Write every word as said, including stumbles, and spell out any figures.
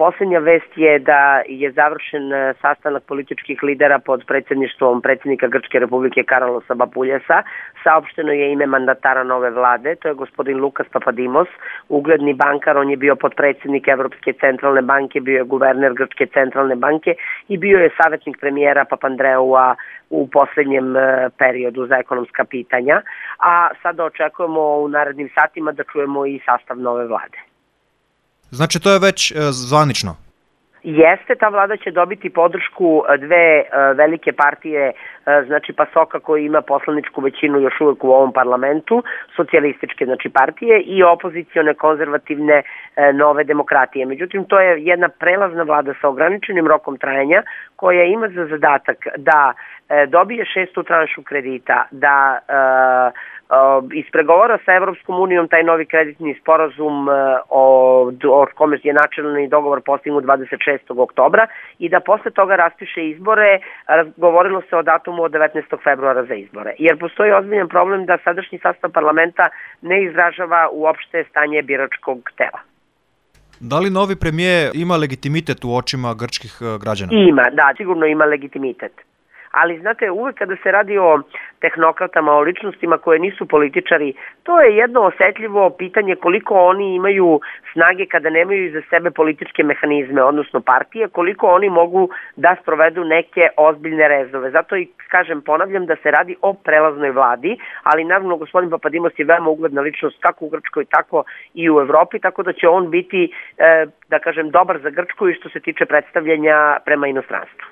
Poslednja vest je da je završen sastanak političkih lidera pod predsjedništvom predsjednika Grčke republike Karalosa Bapuljasa. Saopšteno je ime mandatara nove vlade, to je gospodin Lukas Papadimos, ugledni bankar, on je bio podpredsjednik Evropske centralne banke, bio je guverner Grčke centralne banke i bio je savjetnik premijera Papandreua u poslednjem periodu za ekonomska pitanja, a sada očekujemo u narednim satima da čujemo i sastav nove vlade. Znači to je već e, zvanično? Jeste, ta vlada će dobiti podršku dve e, velike partije, e, znači Pasoka koji ima poslaničku većinu još uvek u ovom parlamentu, socijalističke znači partije i opozicione konzervativne e, nove demokratije. Međutim, to je jedna prelazna vlada sa ograničenim rokom trajanja koja ima za zadatak da e, dobije šestu tranšu kredita, da e, ispregovara sa Evropskom unijom taj novi kreditni sporazum o, o kome je načelni dogovor postignut dvadeset šestog oktobra i da posle toga raspiše izbore. Govorilo se o datumu od devetnaestog februara za izbore. Jer postoji ozbiljan problem da sadašnji sastav parlamenta ne izražava uopšte stanje biračkog tela. Da li novi premijer ima legitimitet u očima grčkih građana? Ima, da, sigurno ima legitimitet. Ali, znate, uvek kada se radi o tehnokratama, o ličnostima koje nisu političari, to je jedno osetljivo pitanje koliko oni imaju snage kada nemaju iza sebe političke mehanizme, odnosno partije, koliko oni mogu da sprovedu neke ozbiljne rezove. Zato i, kažem, ponavljam da se radi o prelaznoj vladi, ali naravno gospodin Papadimos je veoma ugledna ličnost kako u Grčkoj, tako i u Evropi, tako da će on biti, da kažem, dobar za Grčku i što se tiče predstavljanja prema inostranstvu.